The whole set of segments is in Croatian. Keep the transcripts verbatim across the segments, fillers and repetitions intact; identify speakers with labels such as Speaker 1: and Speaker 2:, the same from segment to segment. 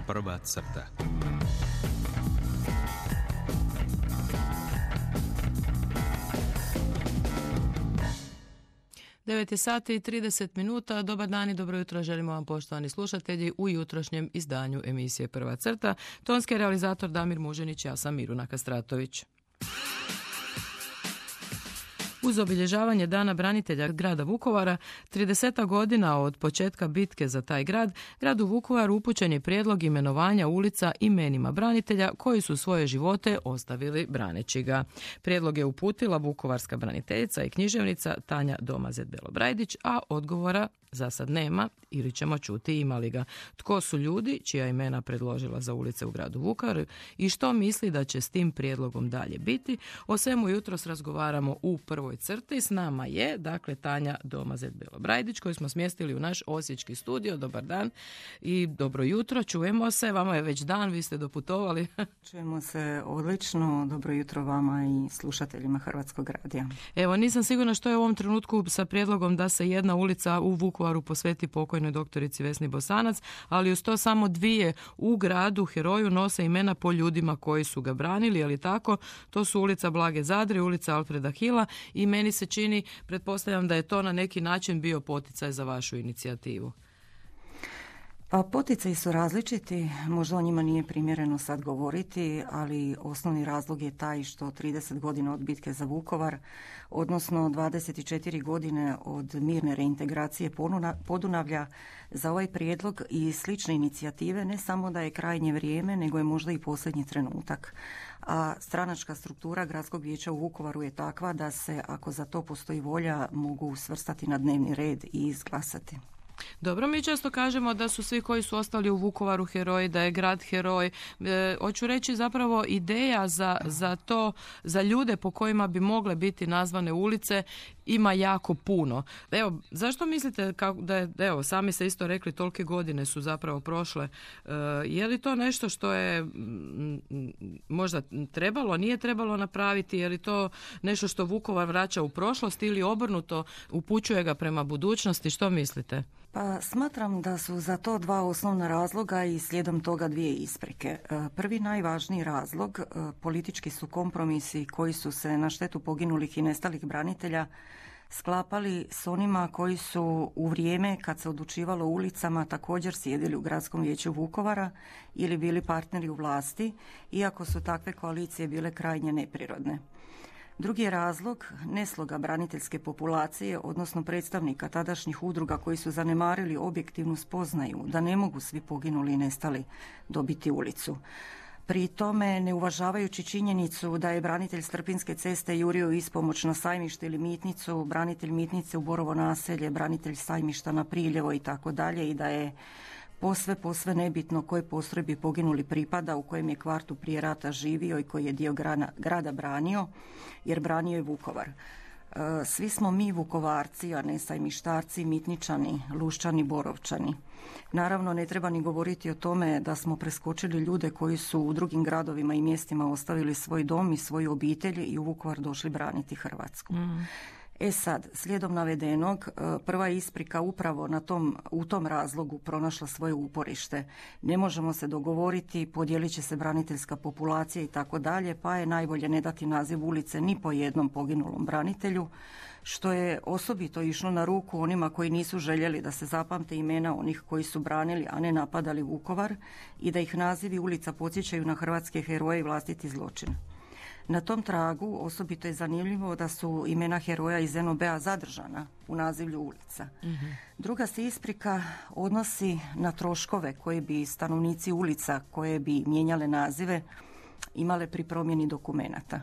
Speaker 1: Prva crta.
Speaker 2: devet je sati i trideset minuta. Dobar dan i dobro jutro želimo vam, poštovani slušatelji, u jutrošnjem izdanju emisije Prva crta. Tonski realizator Damir Muženić, ja sam Miruna Kastratović. Uz obilježavanje Dana branitelja grada Vukovara, trideset godina od početka bitke za taj grad, gradu Vukovaru upućen je prijedlog imenovanja ulica imenima branitelja koji su svoje živote ostavili braneći ga. Prijedlog je uputila vukovarska braniteljica i književnica Tanja Domazet-Belobrajdić, a odgovora za sad nema ili ćemo čuti ima li ga. Tko su ljudi čija imena predložila za ulice u gradu Vukovaru i što misli da će s tim prijedlogom dalje biti? O svemu jutros razgovaramo u prvoj crti. S nama je, dakle, Tanja Domazet-Belobrajdić koju smo smjestili u naš osječki studio. Dobar dan i dobro jutro. Čujemo se. Vama je već dan, vi ste doputovali.
Speaker 3: Čujemo se odlično. Dobro jutro vama i slušateljima Hrvatskog radija.
Speaker 2: Evo, nisam sigurna što je u ovom trenutku sa prijedlogom da se jedna ulica u Vukovaru posveti pokojnoj doktorici Vesni Bosanac, ali uz to samo dvije u gradu heroju nose imena po ljudima koji su ga branili, je li tako? To su ulica Blage Zadre, ulica Alfreda Hila i meni se čini, pretpostavljam da je to na neki način bio poticaj za vašu inicijativu.
Speaker 3: Pa poticaji su različiti, možda o njima nije primjereno sad govoriti, ali osnovni razlog je taj što trideset godina od bitke za Vukovar, odnosno dvadeset četiri godine od mirne reintegracije Podunavlja, za ovaj prijedlog i slične inicijative ne samo da je krajnje vrijeme, nego je možda i posljednji trenutak. A stranačka struktura Gradskog vijeća u Vukovaru je takva da se, ako za to postoji volja, mogu svrstati na dnevni red i izglasati.
Speaker 2: Dobro, mi često kažemo da su svi koji su ostali u Vukovaru heroji, da je grad heroj. E, hoću reći zapravo ideja za, za to, za ljude po kojima bi mogle biti nazvane ulice ima jako puno. Evo, zašto mislite kako da je, evo, sami ste isto rekli, tolike godine su zapravo prošle. E, je li to nešto što je m, možda trebalo, nije trebalo napraviti? Je li to nešto što Vukovar vraća u prošlost ili obrnuto upućuje ga prema budućnosti? Što mislite?
Speaker 3: Pa smatram da su za to dva osnovna razloga i slijedom toga dvije isprike. Prvi najvažniji razlog, politički su kompromisi koji su se na štetu poginulih i nestalih branitelja sklapali s onima koji su u vrijeme kad se odlučivalo ulicama također sjedili u Gradskom vijeću Vukovara ili bili partneri u vlasti, iako su takve koalicije bile krajnje neprirodne. Drugi je razlog nesloga braniteljske populacije, odnosno predstavnika tadašnjih udruga koji su zanemarili objektivnu spoznaju da ne mogu svi poginuli i nestali dobiti ulicu. Pri tome ne uvažavajući činjenicu da je branitelj Strpinske ceste jurio ispomoć na Sajmište ili Mitnicu, branitelj Mitnice u Borovo naselje, branitelj Sajmišta na Priljevo i tako dalje, i da je posve, posve nebitno koje postrojbi poginuli pripada, u kojem je kvartu prije rata živio i koji je dio grana, grada branio, jer branio je Vukovar. Svi smo mi Vukovarci, a ne Sajmištarci, Mitničani, Luščani, Borovčani. Naravno, ne treba ni govoriti o tome da smo preskočili ljude koji su u drugim gradovima i mjestima ostavili svoj dom i svoju obitelj i u Vukovar došli braniti Hrvatsku. Mm. E sad, slijedom navedenog, prva isprika upravo na tom, u tom razlogu pronašla svoje uporište. Ne možemo se dogovoriti, podijelit će se braniteljska populacija i tako dalje, pa je najbolje ne dati naziv ulice ni po jednom poginulom branitelju, što je osobito išlo na ruku onima koji nisu željeli da se zapamte imena onih koji su branili, a ne napadali Vukovar, i da ih nazivi ulica podsjećaju na hrvatske heroje i vlastiti zločin. Na tom tragu osobito je zanimljivo da su imena heroja iz en o be a zadržana u nazivlju ulica. Mm-hmm. Druga se isprika odnosi na troškove koje bi stanovnici ulica koje bi mijenjale nazive imale pri promjeni dokumenata.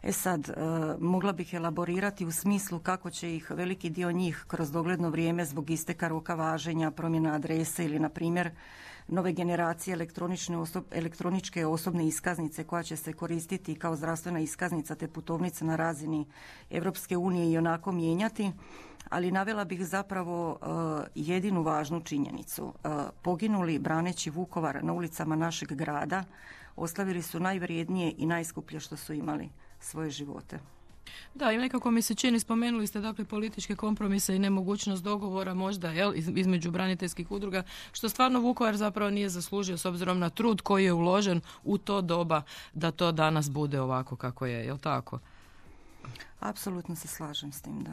Speaker 3: E sad, e, mogla bih elaborirati u smislu kako će ih veliki dio njih kroz dogledno vrijeme zbog isteka roka važenja, promjena adrese ili, na primjer, nove generacije elektronične osob, elektroničke osobne iskaznice koja će se koristiti kao zdravstvena iskaznica te putovnica na razini Europske unije i onako mijenjati, ali navela bih zapravo uh, jedinu važnu činjenicu. Uh, poginuli braneći Vukovar na ulicama našeg grada ostavili su najvrijednije i najskuplje što su imali, svoje živote.
Speaker 2: Da, i nekako mi se čini, spomenuli ste dakle političke kompromise i nemogućnost dogovora možda jel, između braniteljskih udruga, što stvarno Vukovar zapravo nije zaslužio s obzirom na trud koji je uložen u to doba da to danas bude ovako kako je, jel tako?
Speaker 3: Apsolutno se slažem s tim, da.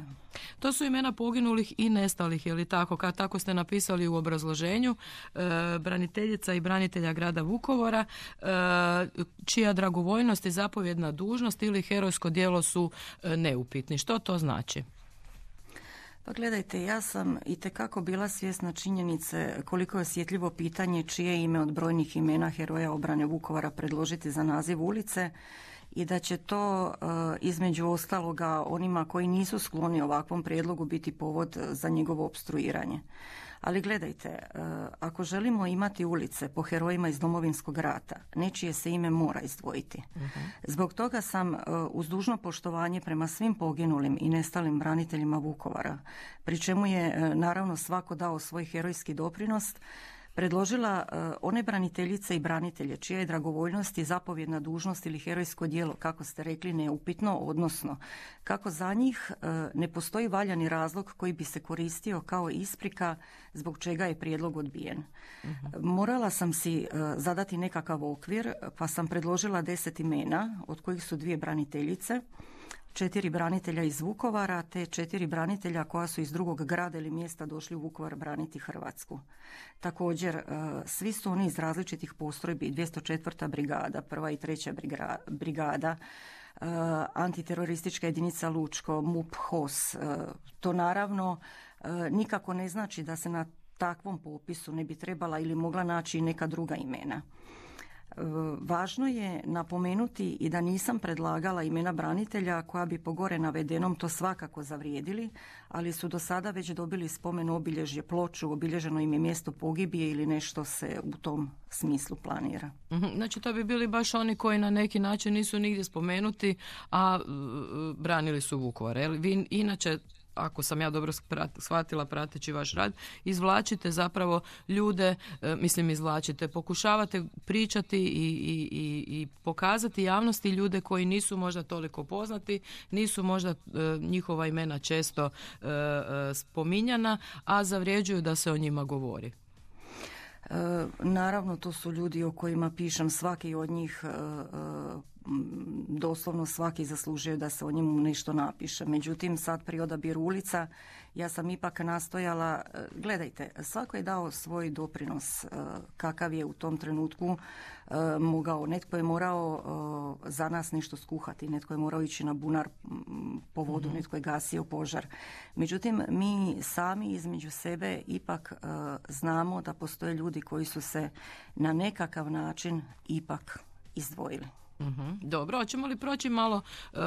Speaker 2: To su imena poginulih i nestalih, je li tako? Kad tako ste napisali u obrazloženju, e, braniteljica i branitelja grada Vukovara, e, čija dragovoljnost i zapovjedna dužnost ili herojsko djelo su e, neupitni. Što to znači?
Speaker 3: Pa gledajte, ja sam itekako bila svjesna činjenice koliko je osjetljivo pitanje čije ime od brojnih imena heroja obrane Vukovara predložiti za naziv ulice, i da će to između ostaloga onima koji nisu skloni ovakvom prijedlogu biti povod za njegovo opstruiranje. Ali gledajte, ako želimo imati ulice po herojima iz Domovinskog rata, nečije se ime mora izdvojiti. Uh-huh. Zbog toga sam uz dužno poštovanje prema svim poginulim i nestalim braniteljima Vukovara, pri čemu je naravno svako dao svoj herojski doprinos, predložila uh, one braniteljice i branitelje čija je dragovoljnost i zapovjedna dužnost ili herojsko djelo, kako ste rekli, neupitno, odnosno kako za njih uh, ne postoji valjani razlog koji bi se koristio kao isprika zbog čega je prijedlog odbijen. Uh-huh. Morala sam si uh, zadati nekakav okvir, pa sam predložila deset imena, od kojih su dvije braniteljice, četiri branitelja iz Vukovara te četiri branitelja koja su iz drugog grada ili mjesta došli u Vukovar braniti Hrvatsku. Također, svi su oni iz različitih postrojbi, dvjesto četvrta brigada, prva i treća brigada, antiteroristička jedinica Lučko, M U P, H O S. To naravno nikako ne znači da se na takvom popisu ne bi trebala ili mogla naći neka druga imena. Važno je napomenuti i da nisam predlagala imena branitelja koja bi po gore navedenom to svakako zavrijedili, ali su do sada već dobili spomen obilježje, ploču, obilježeno im je mjesto pogibije ili nešto se u tom smislu planira.
Speaker 2: Znači to bi bili baš oni koji na neki način nisu nigdje spomenuti, a branili su Vukovar. Vi inače, ako sam ja dobro shvatila prateći vaš rad, izvlačite zapravo ljude, mislim izvlačite, pokušavate pričati i, i, i, i pokazati javnosti ljude koji nisu možda toliko poznati, nisu možda njihova imena često spominjana, a zavređuju da se o njima govori.
Speaker 3: E, naravno, to su ljudi o kojima pišem, svaki od njih, e, doslovno svaki zaslužuje da se o njemu nešto napiše. Međutim, sad pri odabiru ulica ja sam ipak nastojala, gledajte, svako je dao svoj doprinos kakav je u tom trenutku mogao. Netko je morao za nas nešto skuhati, netko je morao ići na bunar po vodu, mm-hmm. netko je gasio požar. Međutim, mi sami između sebe ipak znamo da postoje ljudi koji su se na nekakav način ipak izdvojili.
Speaker 2: Mm-hmm. Dobro, hoćemo li proći malo uh,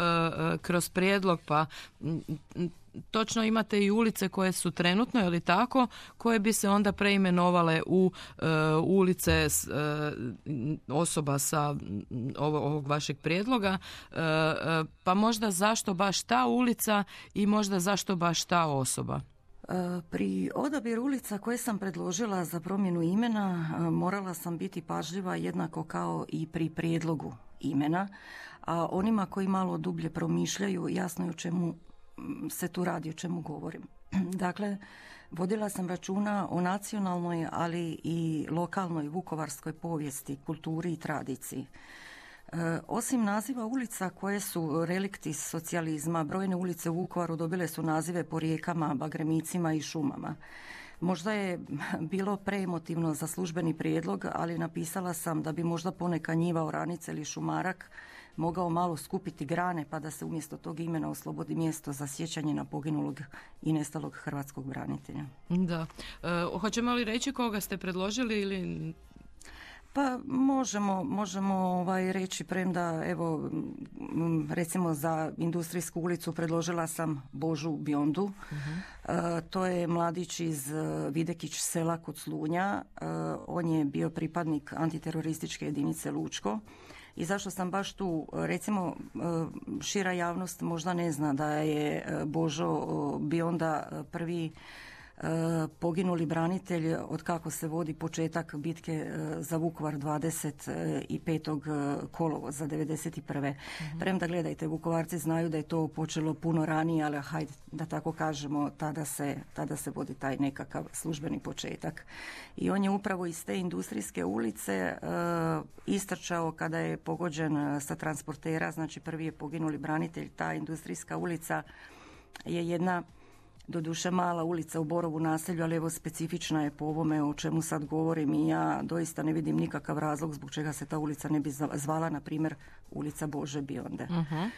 Speaker 2: kroz prijedlog, pa m, m, točno imate i ulice koje su trenutno, je li tako, koje bi se onda preimenovale u uh, ulice s, uh, osoba sa ovo, ovog vašeg prijedloga, uh, uh, pa možda zašto baš ta ulica i možda zašto baš ta osoba?
Speaker 3: Pri odabiru ulica koje sam predložila za promjenu imena morala sam biti pažljiva jednako kao i pri prijedlogu imena, a onima koji malo dublje promišljaju jasno je o čemu se tu radi, o čemu govorim. Dakle, vodila sam računa o nacionalnoj, ali i lokalnoj vukovarskoj povijesti, kulturi i tradiciji. E, osim naziva ulica koje su relikti socijalizma, brojne ulice u Vukovaru dobile su nazive po rijekama, bagremicima i šumama. Možda je bilo preemotivno za službeni prijedlog, ali napisala sam da bi možda poneka njiva, oranica ili šumarak mogao malo skupiti grane pa da se umjesto tog imena oslobodi mjesto za sjećanje na poginulog i nestalog hrvatskog branitelja.
Speaker 2: Da. E, hoćemo li reći koga ste predložili ili...
Speaker 3: Pa možemo, možemo ovaj reći, premda evo recimo za Industrijsku ulicu predložila sam Božu Biondu. Uh-huh. E, to je mladić iz Videkić sela kod Slunja. E, on je bio pripadnik antiterorističke jedinice Lučko. I zašto sam baš tu, recimo šira javnost možda ne zna da je Božo Bionda prvi poginuli branitelj od kako se vodi početak bitke za Vukovar dvadeset petog kolovoza devedeset prve. Mm-hmm. Premda gledajte, Vukovarci znaju da je to počelo puno ranije, ali hajde da tako kažemo, tada se, tada se vodi taj nekakav službeni početak. I on je upravo iz te industrijske ulice uh, istrčao kada je pogođen sa transportera, znači prvi je poginuli branitelj. Ta industrijska ulica je jedna doduše mala ulica u Borovu naselju, ali evo specifična je po ovome o čemu sad govorim i ja doista ne vidim nikakav razlog zbog čega se ta ulica ne bi zvala, na primjer, ulica Bože Bionde. Uh-huh.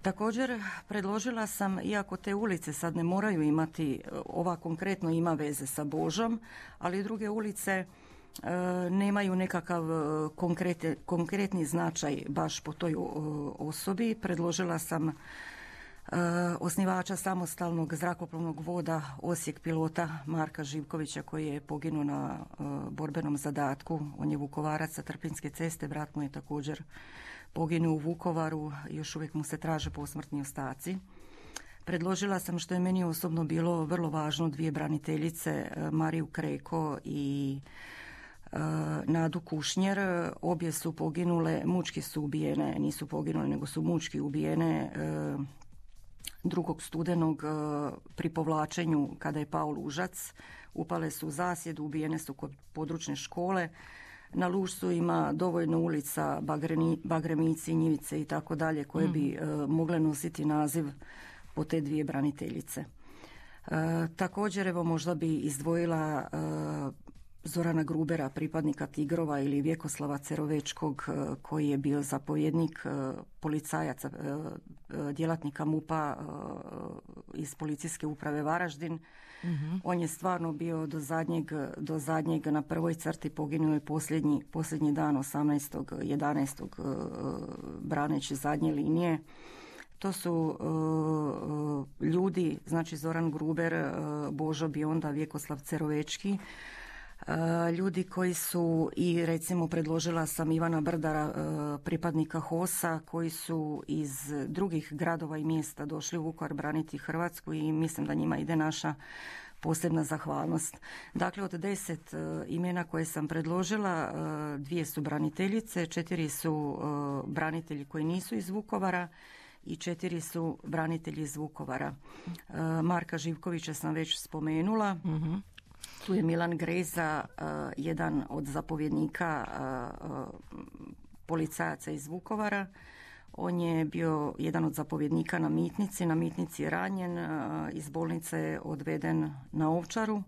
Speaker 3: Također predložila sam, iako te ulice sad ne moraju imati, ova konkretno ima veze sa Božom, ali druge ulice e, nemaju nekakav konkrete, konkretni značaj baš po toj osobi. Predložila sam Uh, osnivača samostalnog zrakoplovnog voda Osijek, pilota Marka Živkovića, koji je poginuo na uh, borbenom zadatku. On je Vukovarac sa Trpinjske ceste, brat mu je također poginuo u Vukovaru, još uvijek mu se traže posmrtni ostaci. Predložila sam, što je meni osobno bilo vrlo važno, dvije braniteljice, uh, Mariju Kreko i uh, Nadu Kušnjer. Obje su poginule, mučki su ubijene, nisu poginule, nego su mučki ubijene uh, drugog studenog pri povlačenju kada je pao Lužac. Upale su u zasjed, ubijene su kod područne škole. Na Lužcu ima dovoljno ulica, Bagreni, Bagremici, Njivice i tako dalje, koje bi uh, mogle nositi naziv po te dvije braniteljice. Uh, također, evo, možda bi izdvojila uh, Zorana Grubera, pripadnika Tigrova, ili Vjekoslava Cerovečkog, koji je bio zapovjednik policajaca, djelatnika MUP-a iz policijske uprave Varaždin. Mm-hmm. On je stvarno bio do zadnjeg, do zadnjeg na prvoj crti, poginuo je posljednji, posljednji dan osamnaestog jedanaestog braneći zadnje linije. To su uh, ljudi, znači Zoran Gruber, uh, Božo Bionda, Vjekoslav Cerovečki, Uh, ljudi koji su, i recimo predložila sam Ivana Brdara, uh, pripadnika HOS-a, koji su iz drugih gradova i mjesta došli u Vukovar braniti Hrvatsku i mislim da njima ide naša posebna zahvalnost. Dakle, od deset uh, imena koje sam predložila, uh, dvije su braniteljice, četiri su uh, branitelji koji nisu iz Vukovara i četiri su branitelji iz Vukovara. Uh, Marka Živkovića sam već spomenula. Mm-hmm. Tu je Milan Greza, uh, jedan od zapovjednika uh, uh, policajaca iz Vukovara. On je bio jedan od zapovjednika na Mitnici. Na Mitnici je ranjen, uh, iz bolnice je odveden na Ovčaru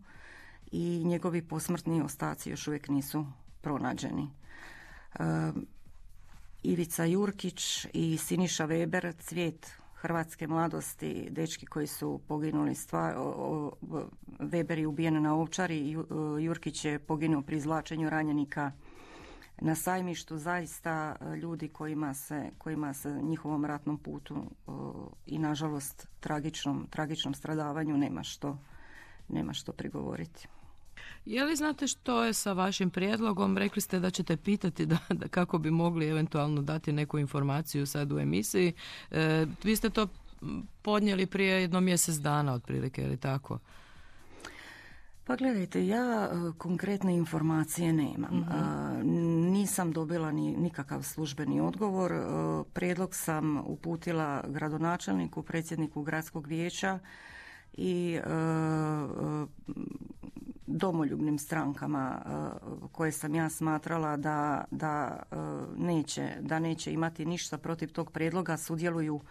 Speaker 3: i njegovi posmrtni ostaci još uvijek nisu pronađeni. Uh, Ivica Jurkić i Siniša Weber, cvijet hrvatske mladosti, dečki koji su poginuli, stvar, o, o, Weber je ubijen na Ovčari i Jurkić je poginuo pri izvlačenju ranjenika na Sajmištu. Zaista ljudi kojima se, kojima se njihovom ratnom putu o, i nažalost tragičnom, tragičnom stradavanju nema što, nema što prigovoriti.
Speaker 2: Je li znate što je sa vašim prijedlogom? Rekli ste da ćete pitati da, da kako bi mogli eventualno dati neku informaciju sad u emisiji. E, vi ste to podnijeli prije jedno mjesec dana otprilike, je li tako?
Speaker 3: Pa gledajte, ja konkretne informacije nemam. Mm-hmm. A, nisam dobila ni nikakav službeni odgovor. A, prijedlog sam uputila gradonačelniku, predsjedniku gradskog vijeća i a, domoljubnim strankama koje sam ja smatrala da, da, neće, da neće imati ništa protiv tog prijedloga, sudjeluju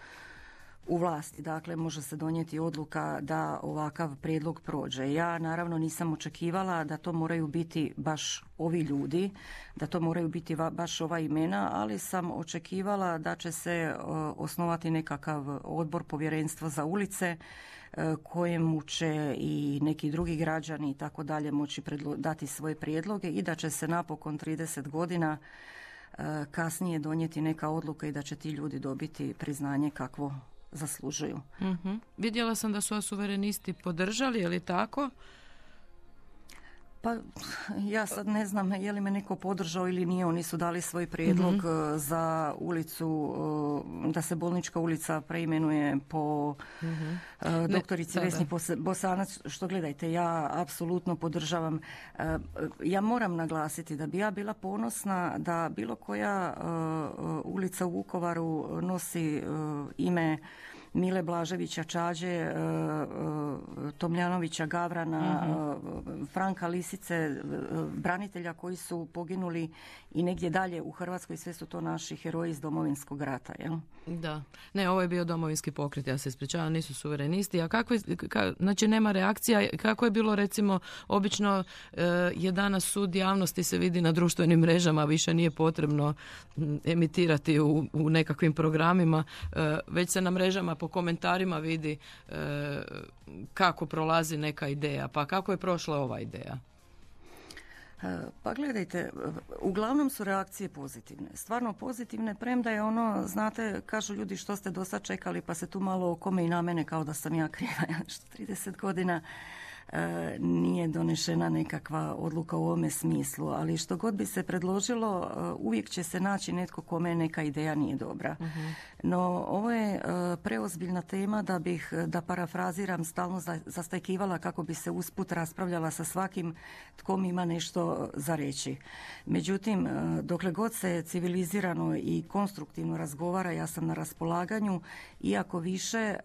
Speaker 3: u vlasti. Dakle, može se donijeti odluka da ovakav prijedlog prođe. Ja naravno nisam očekivala da to moraju biti baš ovi ljudi, da to moraju biti baš ova imena, ali sam očekivala da će se osnovati nekakav odbor, povjerenstvo za ulice, kojemu će i neki drugi građani i tako dalje moći predlo- dati svoje prijedloge i da će se napokon trideset godina kasnije donijeti neka odluka i da će ti ljudi dobiti priznanje kakvo zaslužuju.
Speaker 2: Mm-hmm. Vidjela sam da su vas suverenisti podržali, je li tako?
Speaker 3: Pa ja sad ne znam je li me neko podržao ili nije. Oni su dali svoj prijedlog mm-hmm. za ulicu, da se Bolnička ulica preimenuje po mm-hmm. doktorici ne, Vesni Bosanac, što gledajte, ja apsolutno podržavam. Ja moram naglasiti da bi ja bila ponosna da bilo koja ulica u Vukovaru nosi ime Mile Blaževića Čađe, Tomljanovića Gavrana, mm-hmm. Franka Lisice, branitelja koji su poginuli i negdje dalje u Hrvatskoj, sve su to naši heroji iz Domovinskog rata. Jel?
Speaker 2: Da. Ne, ovo je bio Domovinski pokret, ja se ispričavam, nisu suverenisti. A kako je, ka, znači nema reakcija, kako je bilo recimo, obično e, je danas sud javnosti se vidi na društvenim mrežama, više nije potrebno emitirati u, u nekakvim programima, e, već se na mrežama po komentarima vidi e, kako prolazi neka ideja. Pa kako je prošla ova ideja?
Speaker 3: Pa gledajte, uglavnom su reakcije pozitivne. Stvarno pozitivne, premda je ono, znate, kažu ljudi što ste do sad čekali, pa se tu malo okome i na mene kao da sam ja kriva, što trideset godina e, nije donešena nekakva odluka u ovome smislu, ali što god bi se predložilo, uvijek će se naći netko kome neka ideja nije dobra. Uh-huh. No, ovo je e, preozbiljna tema da bih, da parafraziram, stalno zastajkivala kako bi se usput raspravljala sa svakim tko mi ima nešto za reći. Međutim, dokle god se civilizirano i konstruktivno razgovara, ja sam na raspolaganju, iako više,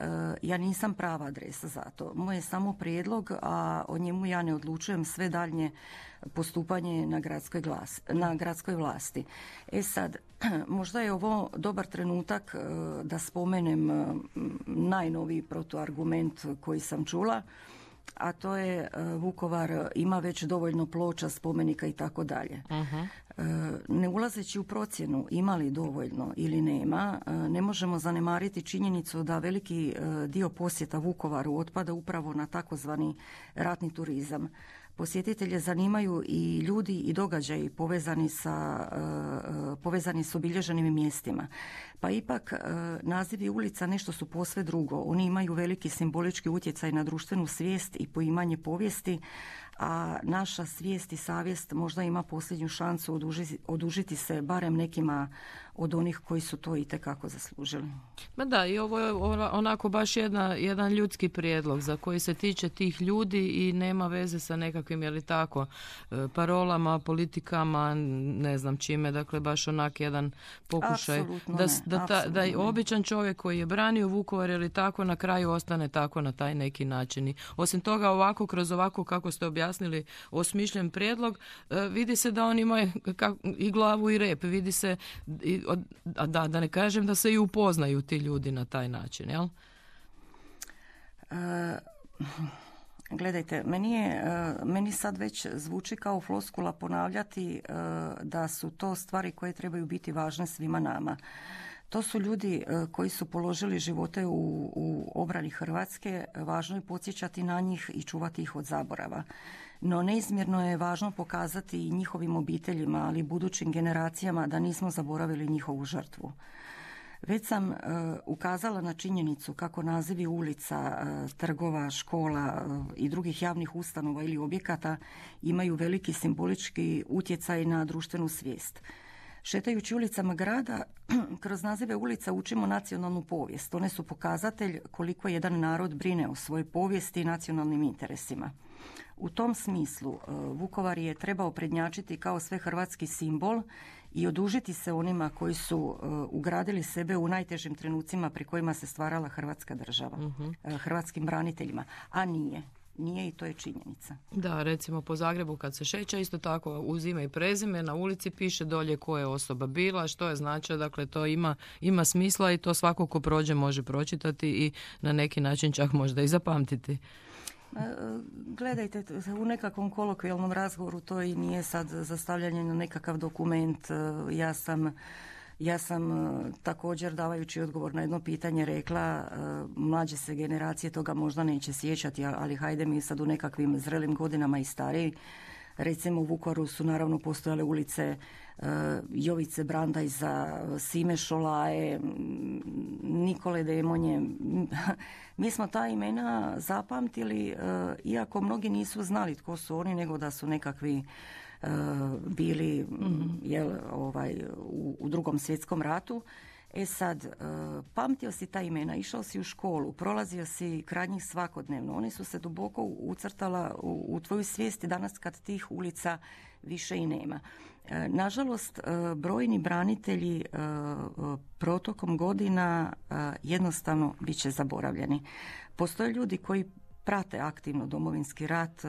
Speaker 3: ja nisam prava adresa za to. Moj je samo prijedlog, a o njemu ja ne odlučujem sve daljnje postupanje na gradskoj, glas, na gradskoj vlasti. E sad, možda je ovo dobar trenutak da spomenem najnoviji protuargument koji sam čula, a to je Vukovar ima već dovoljno ploča, spomenika i tako dalje. Ne ulazeći u procjenu ima li dovoljno ili nema, ne možemo zanemariti činjenicu da veliki dio posjeta Vukovaru otpada upravo na takozvani ratni turizam. Posjetitelje zanimaju i ljudi i događaji povezani sa, povezani s obilježenim mjestima. Pa ipak nazivi ulica nešto su posve drugo. Oni imaju veliki simbolički utjecaj na društvenu svijest i poimanje povijesti, a naša svijest i savjest možda ima posljednju šansu odužiti, odužiti se barem nekima od onih koji su to itekako zaslužili.
Speaker 2: Ma da, i ovo je onako baš jedna, jedan ljudski prijedlog za koji se tiče tih ljudi i nema veze sa nekakvim, je li tako, parolama, politikama, ne znam čime, dakle baš onak jedan pokušaj
Speaker 3: apsolutno
Speaker 2: da,
Speaker 3: ne,
Speaker 2: da, ta, da i običan čovjek koji je branio Vukovar, je li tako, na kraju ostane tako na taj neki način. I osim toga, ovako, kroz ovako kako ste objasnili osmišljen prijedlog, vidi se da on ima i glavu i rep, vidi se i A da, da ne kažem da se i upoznaju ti ljudi na taj način, jel?
Speaker 3: Uh, gledajte, meni, je, uh, meni sad već zvuči kao floskula ponavljati uh, da su to stvari koje trebaju biti važne svima nama. To su ljudi uh, koji su položili živote u, u obrani Hrvatske, važno je podsjećati na njih i čuvati ih od zaborava. No neizmjerno je važno pokazati i njihovim obiteljima, ali i budućim generacijama da nismo zaboravili njihovu žrtvu. Već sam uh, ukazala na činjenicu kako nazivi ulica, uh, trgova, škola uh, i drugih javnih ustanova ili objekata imaju veliki simbolički utjecaj na društvenu svijest. Šetajući ulicama grada, kroz nazive ulica učimo nacionalnu povijest. One su pokazatelj koliko jedan narod brine o svojoj povijesti i nacionalnim interesima. U tom smislu Vukovar je trebao prednjačiti kao svehrvatski simbol i odužiti se onima koji su ugradili sebe u najtežim trenucima pri kojima se stvarala Hrvatska država, uh-huh. hrvatskim braniteljima, a nije. Nije i to je činjenica.
Speaker 2: Da, recimo po Zagrebu kad se šeća, isto tako uz ime i prezime na ulici piše dolje koja je osoba bila, što je značilo, dakle to ima, ima smisla i to svako ko prođe može pročitati i na neki način čak možda i zapamtiti.
Speaker 3: Gledajte, u nekakvom kolokvijalnom razgovoru to i nije sad zastavljanje na nekakav dokument. Ja sam Ja sam također davajući odgovor na jedno pitanje rekla mlađe se generacije toga možda neće sjećati, ali hajde mi sad u nekakvim zrelim godinama i stariji. Recimo u Vukovaru su naravno postojale ulice Jovice Brandajza, Sime Šolaje, Nikole Demonje. Mi smo ta imena zapamtili, iako mnogi nisu znali tko su oni, nego da su nekakvi bili mm-hmm. jel, ovaj, u, u drugom svjetskom ratu. E sad, pamtio si ta imena, išao si u školu, prolazio si kraj njih svakodnevno. Oni su se duboko ucrtala u, u tvoju svijesti danas kad tih ulica više i nema. Nažalost, brojni branitelji protokom godina jednostavno bit će zaboravljeni. Postoje ljudi koji prate aktivno Domovinski rat,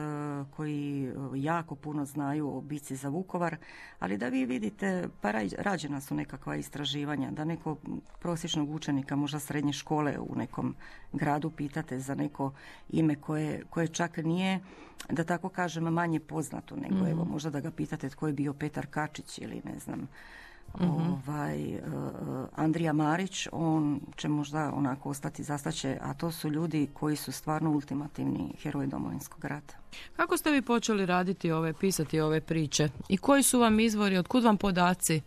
Speaker 3: koji jako puno znaju o bici za Vukovar, ali da vi vidite, pa rađena su nekakva istraživanja, da neko prosječnog učenika, možda srednje škole u nekom gradu pitate za neko ime koje, koje čak nije, da tako kažem, manje poznato, nego mm-hmm. evo, možda da ga pitate tko je bio Petar Kačić ili ne znam, Mm-hmm. ovaj, uh, Andrija Marić, on će možda onako ostati zastaće, a to su ljudi koji su stvarno ultimativni heroji Domovinskog rata.
Speaker 2: Kako ste vi počeli raditi ove, pisati ove priče i koji su vam izvori, otkud vam podaci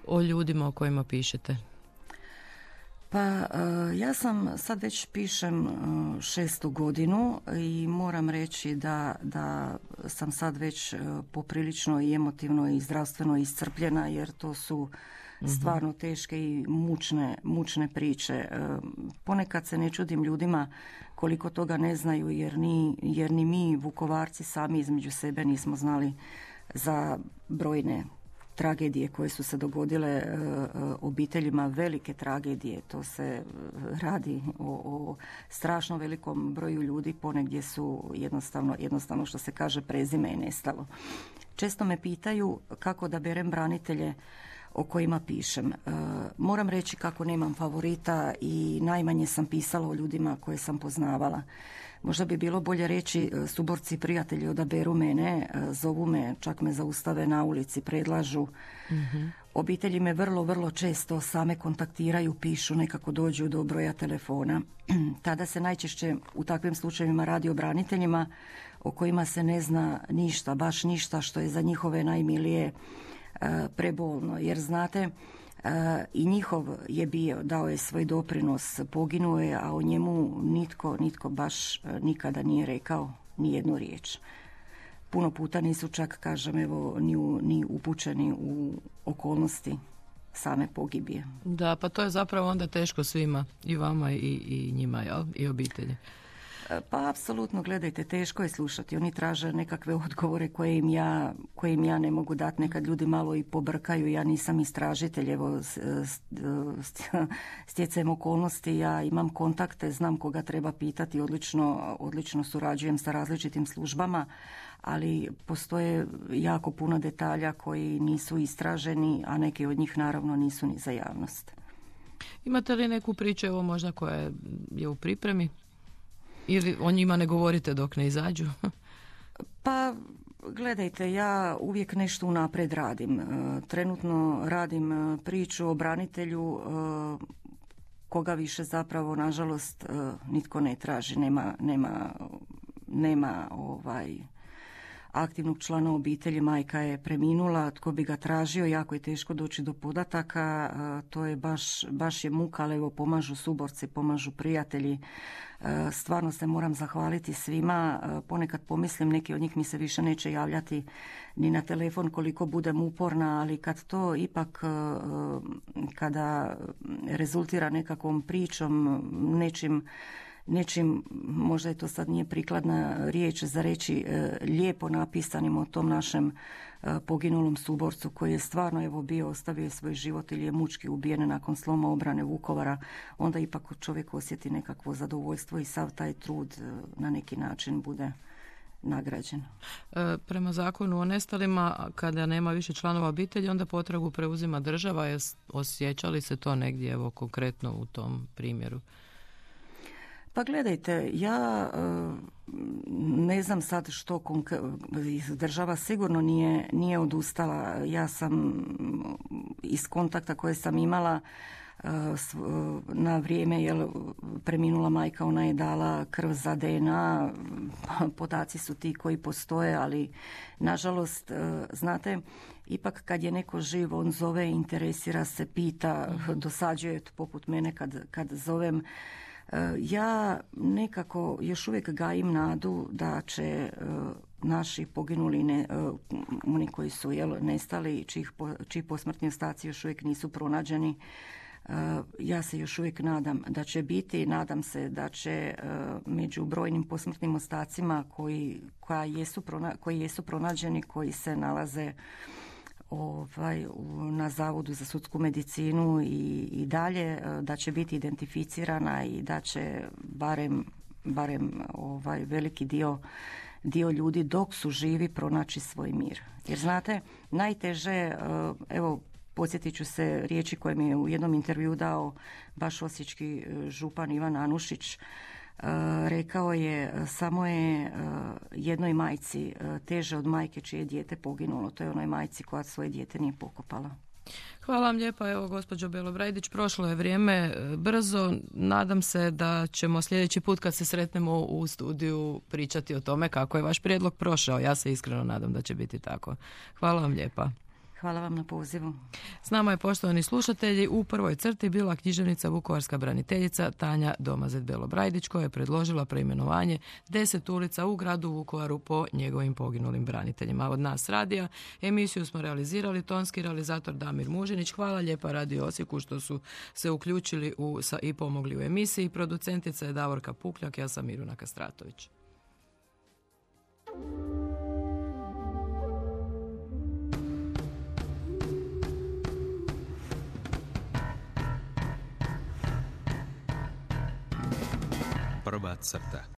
Speaker 2: o ljudima o kojima pišete?
Speaker 3: Pa ja sam sad već pišem šestu godinu i moram reći da, da sam sad već poprilično i emotivno i zdravstveno iscrpljena, jer to su stvarno teške i mučne, mučne priče. Ponekad se ne čudim ljudima koliko toga ne znaju, jer ni, jer ni mi Vukovarci sami između sebe nismo znali za brojne tragedije koje su se dogodile obiteljima, velike tragedije. To se radi o, o strašno velikom broju ljudi, ponegdje su jednostavno, jednostavno što se kaže prezime je nestalo. Često me pitaju kako da berem branitelje o kojima pišem. Moram reći kako nemam favorita i najmanje sam pisala o ljudima koje sam poznavala. Možda bi bilo bolje reći suborci prijatelji odaberu mene, zovu me, čak me zaustave na ulici, predlažu. Mm-hmm. Obitelji me vrlo, vrlo često same kontaktiraju, pišu, nekako dođu do broja telefona. Tada se najčešće u takvim slučajevima radi o braniteljima o kojima se ne zna ništa, baš ništa, što je za njihove najmilije prebolno. Jer znate, i njihov je bio, dao je svoj doprinos, poginuo je, a o njemu nitko, nitko baš nikada nije rekao ni jednu riječ. Puno puta nisu čak, kažem, evo, ni, u, ni upućeni u okolnosti same pogibije.
Speaker 2: Da, pa to je zapravo onda teško svima, i vama i, i njima, jel? I obitelji.
Speaker 3: Pa apsolutno, gledajte, teško je slušati. Oni traže nekakve odgovore koje im ja, koje im ja ne mogu dati. Nekad ljudi malo i pobrkaju. Ja nisam istražitelj, evo, stjecajem okolnosti, ja imam kontakte, znam koga treba pitati, odlično, odlično surađujem sa različitim službama, ali postoje jako puno detalja koji nisu istraženi, a neki od njih naravno nisu ni za javnost.
Speaker 2: Imate li neku priču, evo možda koja je u pripremi? Ili o njima ne govorite dok ne izađu?
Speaker 3: Pa, gledajte, ja uvijek nešto unaprijed radim. Trenutno radim priču o branitelju koga više zapravo, nažalost, nitko ne traži. Nema, nema, nema ovaj... aktivnog člana obitelji, majka je preminula, tko bi ga tražio, jako je teško doći do podataka, to je baš, baš je muka, ali evo pomažu suborci, pomažu prijatelji. Stvarno se moram zahvaliti svima, ponekad pomislim neki od njih mi se više neće javljati ni na telefon koliko budem uporna, ali kad to ipak, kada rezultira nekakvom pričom, nečim nečim, možda je to sad nije prikladna riječ za reći, e, lijepo napisanim o tom našem e, poginulom suborcu koji je stvarno evo bio, ostavio svoj život ili je mučki ubijen nakon sloma obrane Vukovara, onda ipak čovjek osjeti nekakvo zadovoljstvo i sav taj trud e, na neki način bude nagrađen.
Speaker 2: E, prema zakonu o nestalima, kada nema više članova obitelji, onda potragu preuzima država. Je osjeća li se to negdje, evo konkretno u tom primjeru?
Speaker 3: Pa gledajte, ja ne znam sad što država sigurno nije, nije odustala. Ja sam iz kontakta koje sam imala na vrijeme jel, preminula majka, ona je dala krv za D N A, podaci su ti koji postoje, ali nažalost, znate, ipak kad je neko živ, on zove, interesira se, pita, dosađuje poput mene kad, kad zovem. Ja nekako još uvijek gajim nadu da će naši poginuli, ne, oni koji su jel, nestali, čiji, čiji posmrtni ostaci još uvijek nisu pronađeni, ja se još uvijek nadam da će biti, nadam se da će među brojnim posmrtnim ostacima koji, koja jesu, koji jesu pronađeni, koji se nalaze ovaj, na Zavodu za sudsku medicinu i, i dalje, da će biti identificirana i da će barem, barem ovaj, veliki dio, dio ljudi dok su živi pronaći svoj mir. Jer znate, najteže, evo, podsjetit ću se riječi koje mi je u jednom intervju dao baš osječki župan Ivan Anušić. Rekao je, samo je jednoj majci teže od majke čije dijete poginulo. To je onoj majci koja svoje dijete nije pokopala.
Speaker 2: Hvala vam lijepa, evo gospođo Belobrajdić, prošlo je vrijeme brzo. Nadam se da ćemo sljedeći put kad se sretnemo u studiju pričati o tome kako je vaš prijedlog prošao. Ja se iskreno nadam da će biti tako. Hvala vam lijepa.
Speaker 3: Hvala vam na pozivu.
Speaker 2: S nama je, poštovani slušatelji, u prvoj crti bila književnica vukovarska braniteljica Tanja Domazet Belobrajdić, koja je predložila preimenovanje deset ulica u gradu Vukovaru po njegovim poginulim braniteljima. Od nas radija emisiju smo realizirali tonski realizator Damir Mužinić. Hvala lijepa Radio Osijeku što su se uključili u, sa, i pomogli u emisiji. Producentica je Davorka Pukljak, ja sam Miruna Kastratović.
Speaker 1: Prva crta.